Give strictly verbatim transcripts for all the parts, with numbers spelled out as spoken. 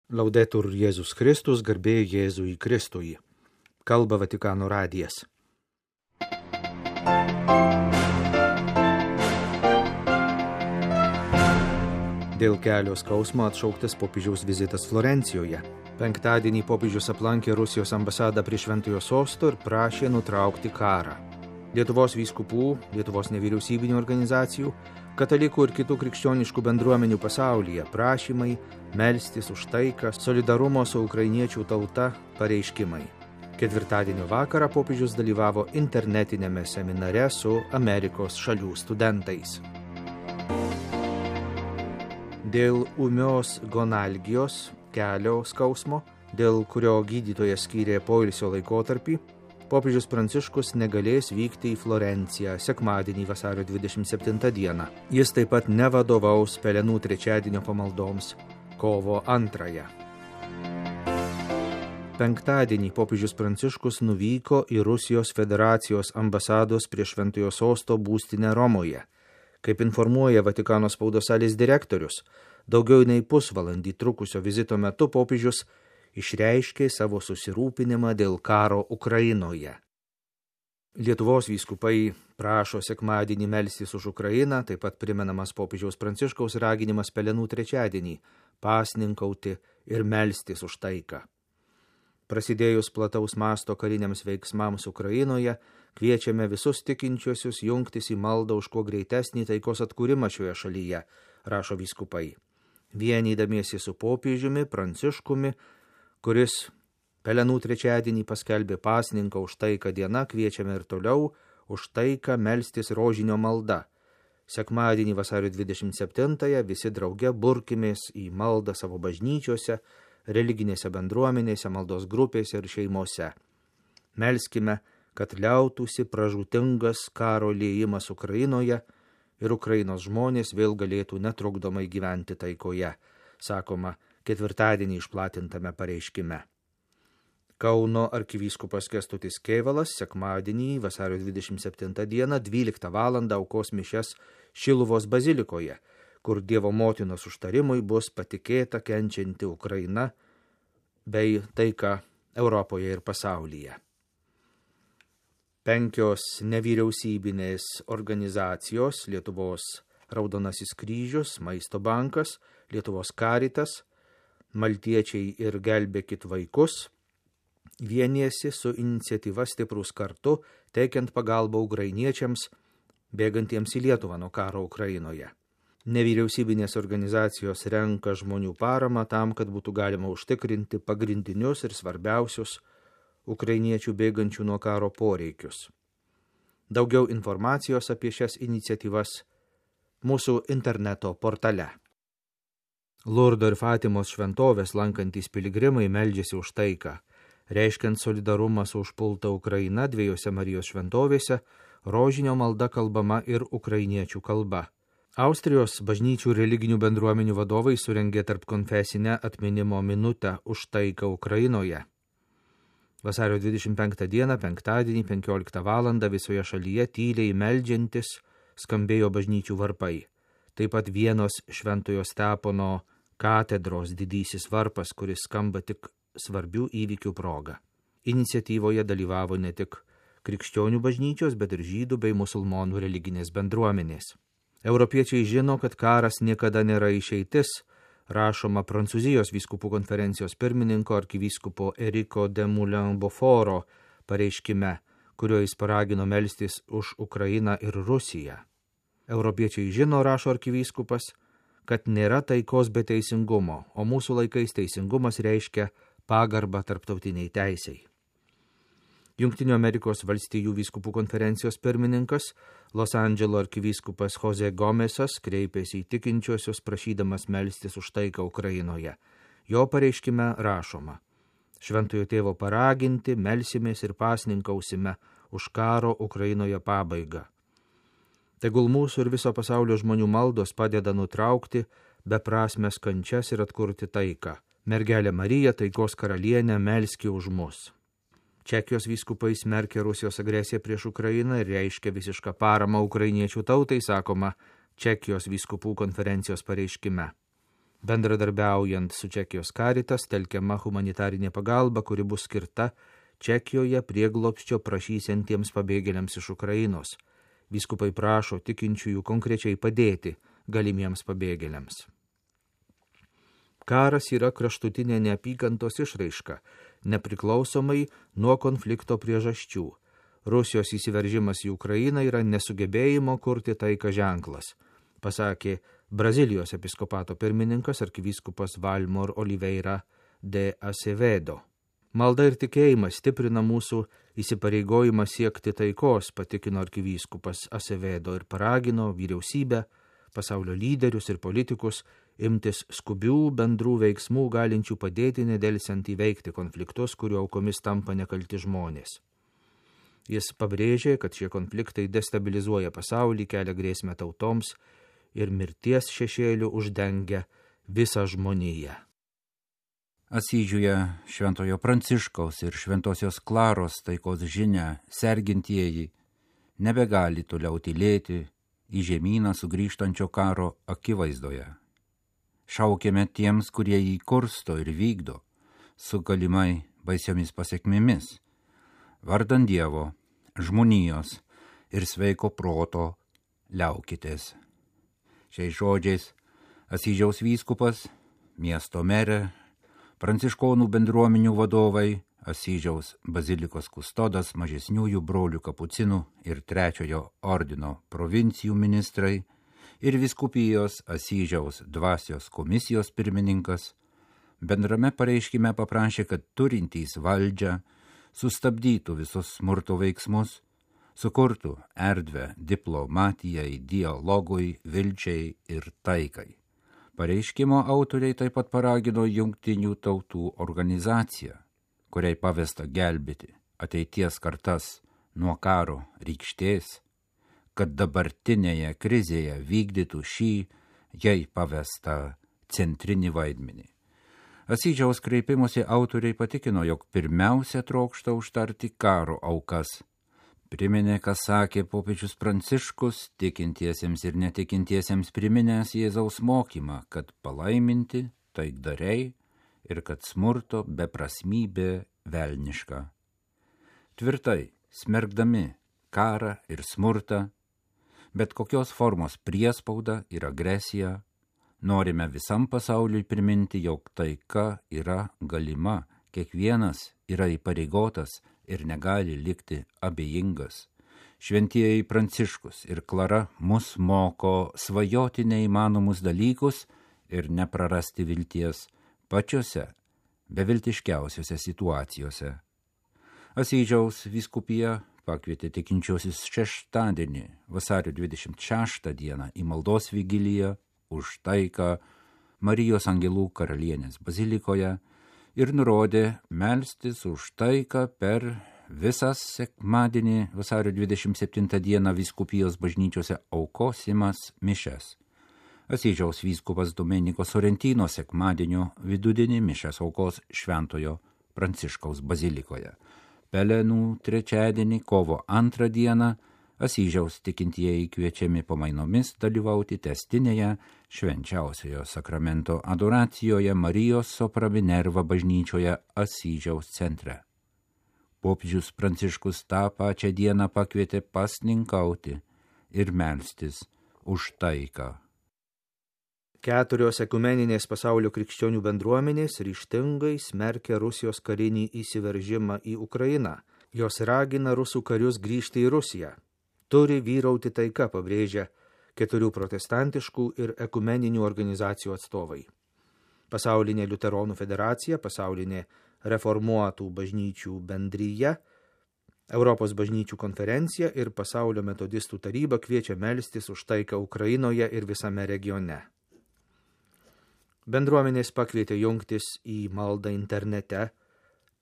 Laudetur Jėzus Kristus, garbė Jėzui Kristui. Kalba Vatikano radijas. Dėl kelio skausmo atšauktas popiežiaus vizitas Florencijoje. Penktadienį popiežius aplankė Rusijos ambasadą prie Šventojo Sosto ir prašė nutraukti karą. Lietuvos vyskupų, Lietuvos nevyriausybinių organizacijų, katalikų ir kitų krikščioniškų bendruomenių pasaulyje prašymai melstis už taiką, solidarumo su ukrainiečių tauta pareiškimai. Ketvirtadienio vakarą popiežius dalyvavo internetinėme seminare su Amerikos šalių studentais. Dėl ūmios gonalgijos, kelio skausmo, dėl kurio gydytojas skyrė poilsio laikotarpį, popiežius Pranciškus negalės vykti į Florenciją sekmadienį vasario dvidešimt septintą dieną. Jis taip pat nevadovaus Pelenų trečiadienio pamaldoms kovo antrąją. Penktadienį popiežius Pranciškus nuvyko į Rusijos federacijos ambasados prie Šventojo Sosto būstinę Romoje. Kaip informuoja Vatikano spaudos salės direktorius, daugiau nei pusvalandį trukusio vizito metu popiežius išreiškė savo susirūpinimą dėl karo Ukrainoje. Lietuvos vyskupai prašo sekmadienį melstis už Ukrainą, taip pat primenamas popiežiaus Pranciškaus raginimas Pelenų trečiadienį pasninkauti ir melstis už taiką. Prasidėjus plataus masto kariniams veiksmams Ukrainoje, kviečiame visus tikinčiuosius jungtis į maldą už kuo greitesnį taikos atkūrimą šioje šalyje, rašo vyskupai. Vienydamiesi su popiežiumi Pranciškumi, kuris Pelenų trečiadienį paskelbė pasninką už taiką diena, kviečiame ir toliau už taiką melstis rožinio malda. Sekmadienį vasario dvidešimt septintąją visi drauge burkimės į maldą savo bažnyčiose, religinėse bendruomenėse, maldos grupėse ir šeimose. Melskime, kad liautųsi pražūtingas karo liejimas Ukrainoje ir Ukrainos žmonės vėl galėtų netrukdomai gyventi taikoje, sakoma ketvirtadienį išplatintame pareiškime. Kauno arkivyskupas Kęstutis Kėvalas sekmadienį vasario dvidešimt septintą dieną dvyliktą valandą aukos mišias Šiluvos bazilikoje, kur Dievo motinos užtarimui bus patikėta kenčianti Ukraina bei taika Europoje ir pasaulyje. Penkios nevyriausybinės organizacijos – Lietuvos Raudonasis kryžius, Maisto bankas, Lietuvos Karitas, Maltiečiai ir gelbėkit vaikus – vienijasi su iniciatyva Stiprūs kartu, teikiant pagalbą ukrainiečiams, bėgantiems į Lietuvą nuo karo Ukrainoje. Nevyriausybinės organizacijos renka žmonių paramą tam, kad būtų galima užtikrinti pagrindinius ir svarbiausius ukrainiečių bėgančių nuo karo poreikius. Daugiau informacijos apie šias iniciatyvas mūsų interneto portale. Lurdo ir Fatimos šventovės lankantys piligrimai meldžiasi už taiką. Reiškiant solidarumą su užpulta Ukraina dviejose Marijos šventovėse, rožinio malda kalbama ir ukrainiečių kalba. Austrijos bažnyčių religinių bendruomenių vadovai surengė tarpkonfesinę atminimo minutę už taiką Ukrainoje. Vasario dvidešimt penktą dieną, penktadienį, penkioliktą valandą visoje šalyje tyliai meldžiantis skambėjo bažnyčių varpai. Taip pat Vienos Šventojo Stepono katedros didysis varpas, kuris skamba tik svarbių įvykių proga. Iniciatyvoje dalyvavo ne tik krikščionių bažnyčios, bet ir žydų bei musulmonų religinės bendruomenės. Europiečiai žino, kad karas niekada nėra išeitis, rašoma Prancūzijos vyskupų konferencijos pirmininko arkivyskupo Eriko de Moulin-Beauforo pareiškime, kuriuo jis paragino melstis už Ukrainą ir Rusiją. Europiečiai žino, rašo arkivyskupas, kad nėra taikos be teisingumo, o mūsų laikais teisingumas reiškia pagarbą tarptautiniai teisei. Jungtinių Amerikos valstijų vyskupų konferencijos pirmininkas, Los Andželo arkivyskupas Jose Gomesas kreipėsi į tikinčiuosius prašydamas melstis už taiką Ukrainoje. Jo pareiškime rašoma: Šventojo tėvo paraginti, melsimės ir pasninkausime už karo Ukrainoje pabaigą. Tegul mūsų ir viso pasaulio žmonių maldos padeda nutraukti beprasmes kančias ir atkurti taiką. Mergelė Marija, taikos karalienė, melski už mus. Čekijos vyskupai smerkė Rusijos agresiją prieš Ukrainą ir reiškia visišką paramą ukrainiečių tautai, sakoma Čekijos vyskupų konferencijos pareiškime. Bendradarbiaujant su Čekijos Caritas telkiama humanitarinė pagalba, kuri bus skirta Čekijoje prieglobsčio prašysiantiems pabėgėliams iš Ukrainos. Vyskupai prašo tikinčiųjų konkrečiai padėti galimiems pabėgėliams. Karas yra kraštutinė neapykantos išraiška, nepriklausomai nuo konflikto priežasčių. Rusijos įsiveržimas į Ukrainą yra nesugebėjimo kurti taiką ženklas, pasakė Brazilijos episkopato pirmininkas arkivyskupas Valmor Oliveira de Acevedo. Malda ir tikėjimas stiprina mūsų įsipareigojimą siekti taikos, patikino arkivyskupas Acevedo ir paragino vyriausybę, pasaulio lyderius ir politikus imtis skubių bendrų veiksmų galinčių padėti nedelsiant įveikti konfliktus, kurių aukomis tampa nekalti žmonės. Jis pabrėžė, kad šie konfliktai destabilizuoja pasaulį, kelia grėsmę tautoms ir mirties šešėlių uždengia visą žmoniją. Asyžiuje Šventojo Pranciškaus ir Šventosios Klaros taikos žinia sergintieji nebegali toliau tylėti į žemyną sugrįžtančio karo akivaizdoje. Šaukėme tiems, kurie jį kursto ir vykdo, su galimai baisiomis pasiekmėmis, vardan Dievo, žmonijos ir sveiko proto liaukitės. Šiais žodžiais Asyžiaus vyskupas, miesto merė, pranciškonų bendruomenių vadovai, Asyžiaus bazilikos kustodas, mažesniųjų brolių kapucinų ir trečiojo ordino provincijų ministrai ir vyskupijos Asyžiaus dvasios komisijos pirmininkas bendrame pareiškime paprašė, kad turintys valdžią sustabdytų visus smurto veiksmus, sukurtų erdvę diplomatijai, dialogui, vilčiai ir taikai. Pareiškimo autoriai taip pat paragino Jungtinių tautų organizaciją, kuriai pavesta gelbėti ateities kartas nuo karo rykštės, kad dabartinėje krizėje vykdytų šį jai pavestą centrinį vaidmenį. Asyžiaus kreipimosi autoriai patikino, jog pirmiausia trokšta užtarti karo aukas. Priminė, ką sakė popiežius Pranciškus, tikintiesiems ir netikintiesiems priminęs Jėzaus mokymą, kad palaiminti taikdariai ir kad smurto beprasmybė velniška. Tvirtai smerkdami karą ir smurtą, bet kokios formos priespaudą ir agresiją, norime visam pasauliui priminti, jog taika yra galima, kiekvienas yra įpareigotas ir negali likti abejingas. Šventieji Pranciškus ir Klara mus moko svajoti neįmanomus dalykus ir neprarasti vilties pačiose beviltiškiausiose situacijose. Asyžiaus vyskupija pakvietė tikinčiuosius šeštadienį, vasario dvidešimt šeštą dieną, į maldos vigiliją už taiką Marijos Angelų karalienės bazilikoje ir nurodė melstis už taiką per visas sekmadienį vasario dvidešimt septintą dieną vyskupijos bažnyčiose aukosimas mišes. Asyžiaus vyskupas Domeniko Sorrentino sekmadienio vidudienį mišes aukos Šventojo Pranciškaus bazilikoje. Pelenų trečiadienį kovo antrą dieną Asyžiaus tikintieji kviečiami pamainomis dalyvauti testinėje švenčiausiojo sakramento adoracijoje Marijos Sopra Minerva bažnyčioje Asyžiaus centre. Popiežius Pranciškus tą pačią dieną pakvietė pasninkauti ir melstis už taiką. Keturios ekumeninės pasaulio krikščionių bendruomenės ryžtingai smerkia Rusijos karinį įsiveržimą į Ukrainą. Jos ragina rusų karius grįžti į Rusiją. Turi vyrauti taika, pabrėžia keturių protestantiškų ir ekumeninių organizacijų atstovai. Pasaulinė Liuteronų federacija, pasaulinė reformuotų bažnyčių bendryja, Europos bažnyčių konferencija ir pasaulio metodistų taryba kviečia melstis už taiką Ukrainoje ir visame regione. Bendruomenės pakvietė jungtis į maldą internete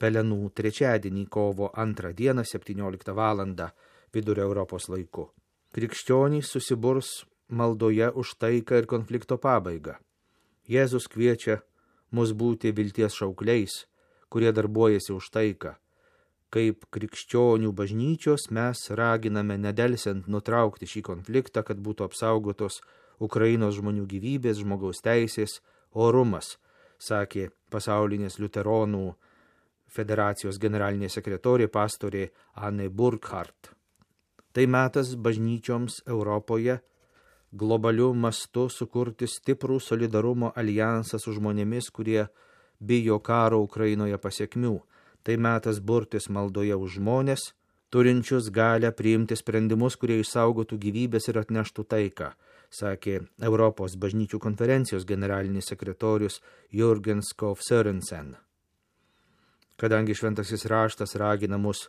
Pelenų trečiadienį kovo antrą dieną septynioliktą valandą vidurio Europos laiku. Krikščionys susiburs maldoje už taiką ir konflikto pabaigą. Jėzus kviečia mus būti vilties šaukliais, kurie darbuojasi už taiką. Kaip krikščionių bažnyčios mes raginame nedelsiant nutraukti šį konfliktą, kad būtų apsaugotos Ukrainos žmonių gyvybės, žmogaus teisės, orumas, sakė pasaulinės liuteronų federacijos generalinė sekretorė pastorė Anne Burkhardt. Tai metas bažnyčioms Europoje globaliu mastu sukurti stiprų solidarumo alijansą su žmonėmis, kurie bijo karo Ukrainoje pasiekmių. Tai metas burtis maldoje už žmonės, turinčius galę priimti sprendimus, kurie išsaugotų gyvybės ir atneštų taiką, sakė Europos bažnyčių konferencijos generalinis sekretorius Jürgen Skov Sørensen. Kadangi šventasis raštas ragina mus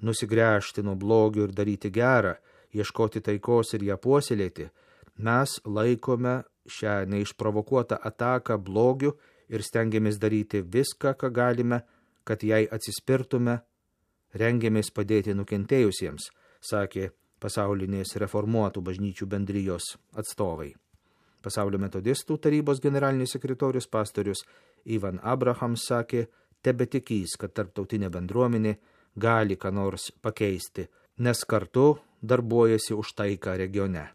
nusigręžti nuo blogio ir daryti gerą, ieškoti taikos ir ją puoselėti, mes laikome šią neišprovokuotą ataką blogiu ir stengiamės daryti viską, ką galime, kad jai atsispirtume, rengiamės padėti nukentėjusiems, sakė pasaulinės reformuotų bažnyčių bendrijos atstovai. Pasaulio metodistų tarybos generalinis sekretorius pastorius Ivan Abrahams sakė, tebetikys, kad tarptautinė bendruomenė gali ką nors pakeisti, nes kartu darbuojasi už taiką regione.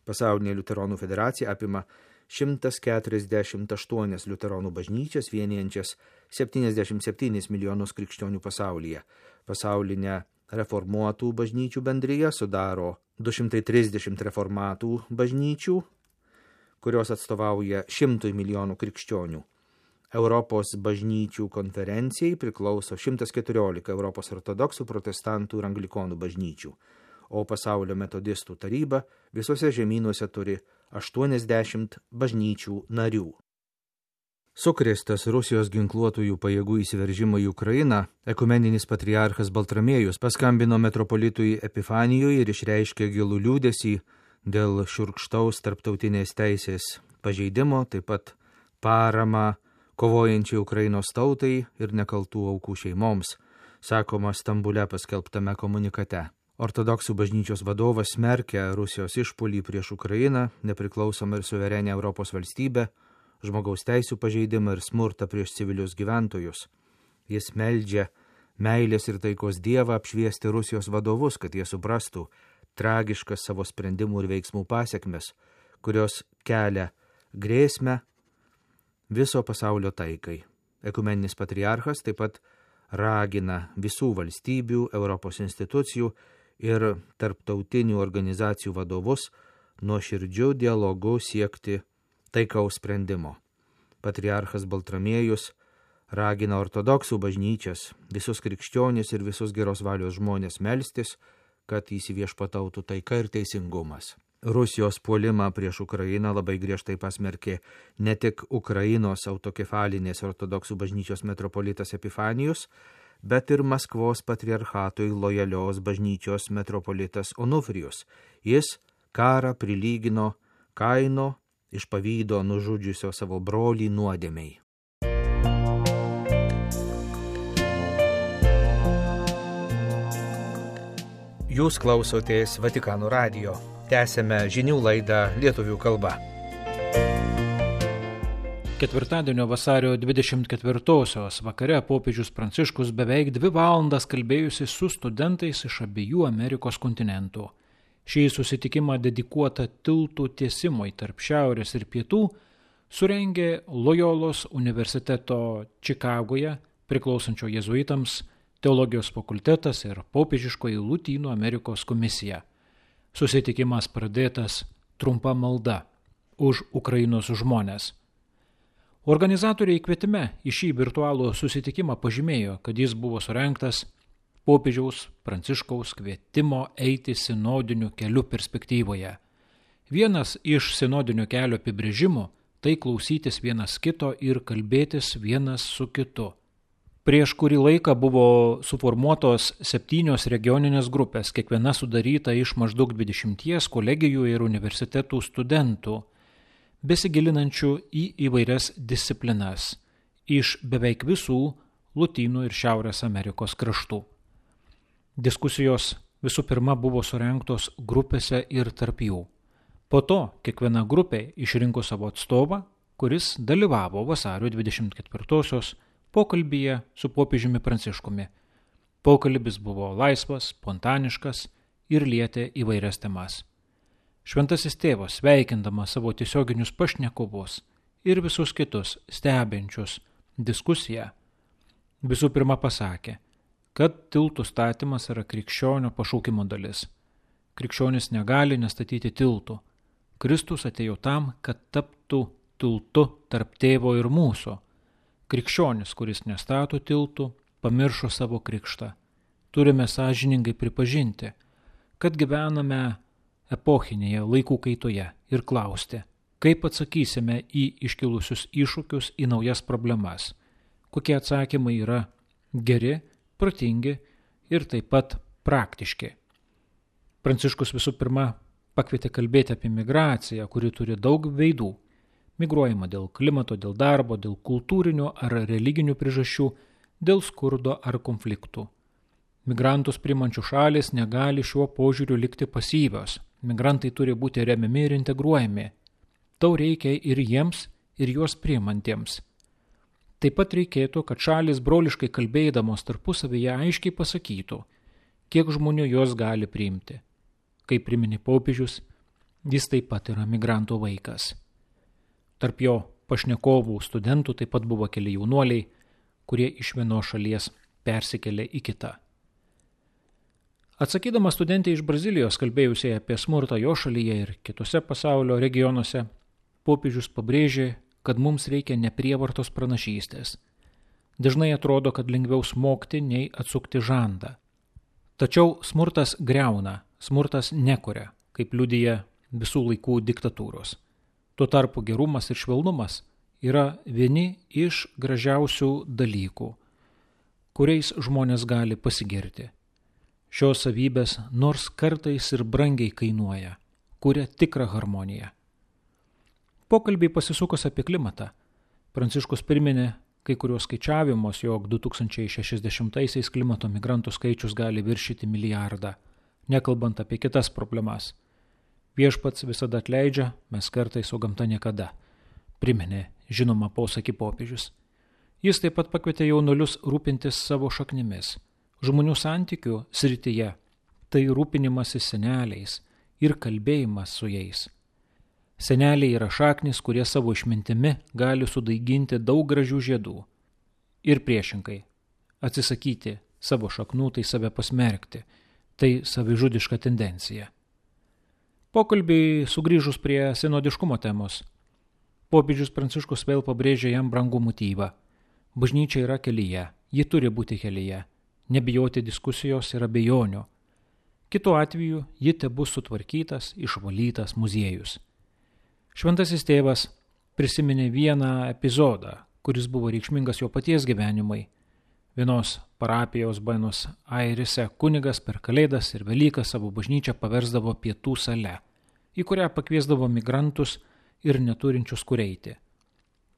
Pasaulinė liuteronų federacija apima šimtas keturiasdešimt aštuonias liuteronų bažnyčias, vienijančias septyniasdešimt septynis milijonus krikščionių pasaulyje. Pasaulinę reformuotų bažnyčių bendriją sudaro du šimtai trisdešimt reformatų bažnyčių, kurios atstovauja šimtui milijonų krikščionių. Europos bažnyčių konferencijai priklauso šimtas keturiolika Europos ortodoksų, protestantų ir anglikonų bažnyčių, o pasaulio metodistų taryba visose žemynuose turi aštuoniasdešimt bažnyčių narių. Sukrėstas Rusijos ginkluotųjų pajėgų įsiveržimo į Ukrainą, ekumeninis patriarchas Baltramiejus paskambino metropolitui Epifanijui ir išreiškė gilų liūdesį dėl šiurkštaus tarptautinės teisės pažeidimo, taip pat paramą kovojančiai Ukrainos tautai ir nekaltų aukų šeimoms, sakoma Stambule paskelbtame komunikate. Ortodoksų bažnyčios vadovas smerkia Rusijos išpuolį prieš Ukrainą, nepriklausomą ir suverenę Europos valstybę, žmogaus teisių pažeidimą ir smurtą prieš civilius gyventojus. Jis meldžia meilės ir taikos Dievą apšviesti Rusijos vadovus, kad jie suprastų tragiškas savo sprendimų ir veiksmų pasiekmes, kurios kelia grėsmę viso pasaulio taikai. Ekumeninis patriarchas taip pat ragina visų valstybių, Europos institucijų ir tarptautinių organizacijų vadovus nuoširdžiu dialogu siekti taikaus sprendimo. Patriarchas Baltramiejus ragina ortodoksų bažnyčias, visus krikščionis ir visus geros valios žmonės melstis, kad įsiviešpatautų taika ir teisingumas. Rusijos puolimą prieš Ukrainą labai griežtai pasmerkė ne tik Ukrainos autokefalinės ortodoksų bažnyčios metropolitas Epifanijus, bet ir Maskvos patriarchatui lojalios bažnyčios metropolitas Onufrijus. Jis karą prilygino Kaino iš pavydo nužudžiusio savo brolį nuodėmei. Jūs klausotės Vatikano radijo. Tęsėme žinių laidą lietuvių kalba. Ketvirtadienio vasario dvidešimt ketvirtosios vakare popiežius Pranciškus beveik dvi valandas kalbėjusi su studentais iš abiejų Amerikos kontinentų. Šį susitikimą dedikuotą tiltų tiesimui tarp šiaurės ir pietų surengė Lojolos universiteto Čikagoje priklausančio jėzuitams teologijos fakultetas ir popiežiškoji Lotynų Amerikos komisija. Susitikimas pradėtas trumpa malda už Ukrainos žmones. Organizatoriai kvietime į šį virtualų susitikimą pažymėjo, kad jis buvo surengtas popiežiaus Pranciškaus kvietimo eiti sinodiniu keliu perspektyvoje. Vienas iš sinodinio kelio apibrėžimų – tai klausytis vienas kito ir kalbėtis vienas su kitu. Prieš kurį laiką buvo suformuotos septynios regioninės grupės, kiekviena sudaryta iš maždaug dvidešimties kolegijų ir universitetų studentų, besigilinančių į įvairias disciplinas iš beveik visų Lotynų ir Šiaurės Amerikos kraštų. Diskusijos visų pirma buvo surengtos grupėse ir tarp jų. Po to kiekviena grupė išrinko savo atstovą, kuris dalyvavo vasario dvidešimt ketvirtosios pokalbyje su popiežiumi Pranciškumi. Pokalbis buvo laisvas, spontaniškas ir lietė įvairias temas. Šventasis tėvas, sveikindamas savo tiesioginius pašnekovus, ir visus kitus stebinčius diskusiją, visų pirma pasakė, kad tiltų statymas yra krikščionio pašaukimo dalis. Krikščionis negali nestatyti tiltų. Kristus atėjo tam, kad taptų tiltu tarp tėvo ir mūsų. Krikščionis, kuris nestato tiltų, pamiršo savo krikštą. Turime sąžiningai pripažinti, kad gyvename epochinėje laikų kaitoje ir klausti, kaip atsakysime į iškilusius iššūkius, į naujas problemas, kokie atsakymai yra geri, protingi ir taip pat praktiški. Pranciškus visų pirma pakvietė kalbėti apie migraciją, kuri turi daug veidų. Migruojama dėl klimato, dėl darbo, dėl kultūrinių ar religinių priežasčių, dėl skurdo ar konfliktų. Migrantus priimančių šalis negali šiuo požiūriu likti pasyvios. Migrantai turi būti remiami ir integruojami. Tau reikia ir jiems, ir juos priimantiems. Taip pat reikėtų, kad šalis broliškai kalbėdamos tarpusavyje aiškiai pasakytų, kiek žmonių jos gali priimti. Kaip priminė popiežius, jis taip pat yra migrantų vaikas. Tarp jo pašnekovų studentų taip pat buvo keli jaunuoliai, kurie iš vienos šalies persikėlė į kitą. Atsakydama studentė iš Brazilijos, kalbėjusiai apie smurtą jo šalyje ir kitose pasaulio regionuose, popiežius pabrėžė, kad mums reikia neprievartos pranašystės. Dažnai atrodo, kad lengviau smogti, nei atsukti žandą. Tačiau smurtas griauna, smurtas nekuria, kaip liudija visų laikų diktatūros. Tuo tarpu gerumas ir švelnumas yra vieni iš gražiausių dalykų, kuriais žmonės gali pasigirti. Šios savybės nors kartais ir brangiai kainuoja, kuria tikrą harmoniją. Pokalbiai pasisukus apie klimatą. Pranciškus priminė kai kurios skaičiavimus, jog du tūkstančiai šešiasdešimtaisiais klimato migrantų skaičius gali viršyti milijardą, nekalbant apie kitas problemas. Viešpats visada atleidžia, mes kartais, o gamta niekada, priminė žinoma posakį popiežius. Jis taip pat pakvietė jaunuolius rūpintis savo šaknimis. Žmonių santykių srityje tai rūpinimasis seneliais ir kalbėjimas su jais. Seneliai yra šaknis, kurie savo išmintimi gali sudaiginti daug gražių žiedų. Ir priešingai, atsisakyti savo šaknų, tai save pasmerkti, tai savižudiška tendencija. Pokalbiai sugrįžus prie sinodiškumo temos. Popiežius Pranciškus vėl pabrėžė jam brangų motyvą. Bažnyčia yra kelyje, ji turi būti kelyje. Nebijoti diskusijos ir abejonių. Kitu atveju ji tebus sutvarkytas, išvalytas muziejus. Šventasis tėvas prisiminė vieną epizodą, kuris buvo reikšmingas jo paties gyvenimui. Vienos parapijos Buenos Airėse kunigas per Kalėdas ir Velykas savo bažnyčią paversdavo pietų sale, į kurią pakviesdavo migrantus ir neturinčius kur eiti.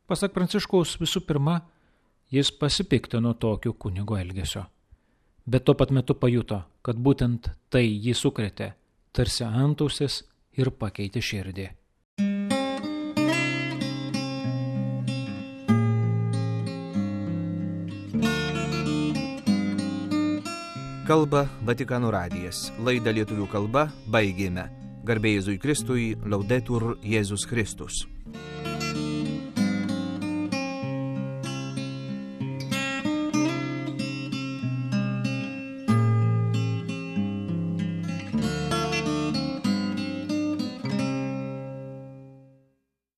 Pasak Pranciškaus, visų pirma, jis pasipiktino tokiu kunigo elgesio. Bet tuo pat metu pajuto, kad būtent tai jį sukrėtė, tarsi antausis ir pakeitė širdį. Kalba Vatikano radijas. Laidą lietuvių kalba baigėme. Garbė Jėzui Kristui, Laudetur Jėzus Kristus.